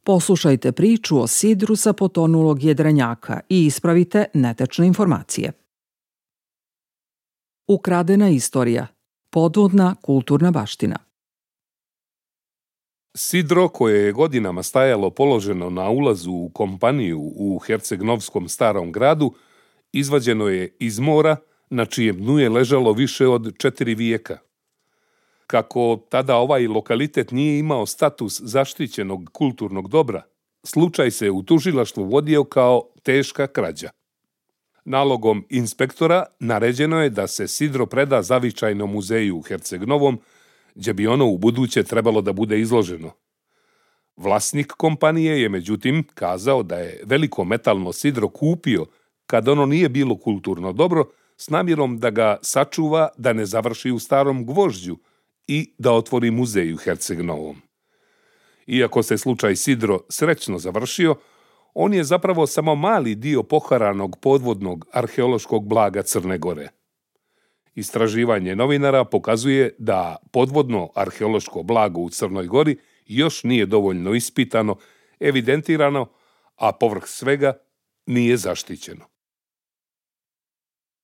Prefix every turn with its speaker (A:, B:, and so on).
A: Poslušajte priču o sidru sa potonulog jedrenjaka i ispravite netečne informacije. Ukradena istorija. Podvodna kulturna baština.
B: Sidro koje je godinama stajalo položeno na ulazu u kompaniju u Herceg-Novskom starom gradu izvađeno je iz mora na čijem dnu je ležalo više od 4 vijeka. Kako tada ovaj lokalitet nije imao status zaštićenog kulturnog dobra, slučaj se u tužilaštvu vodio kao teška krađa. Nalogom inspektora naređeno je da se sidro preda zavičajnom muzeju u Herceg-Novom, gdje bi ono u buduće trebalo da bude izloženo. Vlasnik kompanije je međutim kazao da je veliko metalno sidro kupio kad ono nije bilo kulturno dobro s namjerom da ga sačuva da ne završi u starom gvožđu i da otvori muzej u Herceg-Novom. Iako se slučaj sidro srećno završio, on je zapravo samo mali dio poharanog podvodnog arheološkog blaga Crne Gore. Istraživanje novinara pokazuje da podvodno arheološko blago u Crnoj Gori još nije dovoljno ispitano, evidentirano, a povrh svega nije zaštićeno.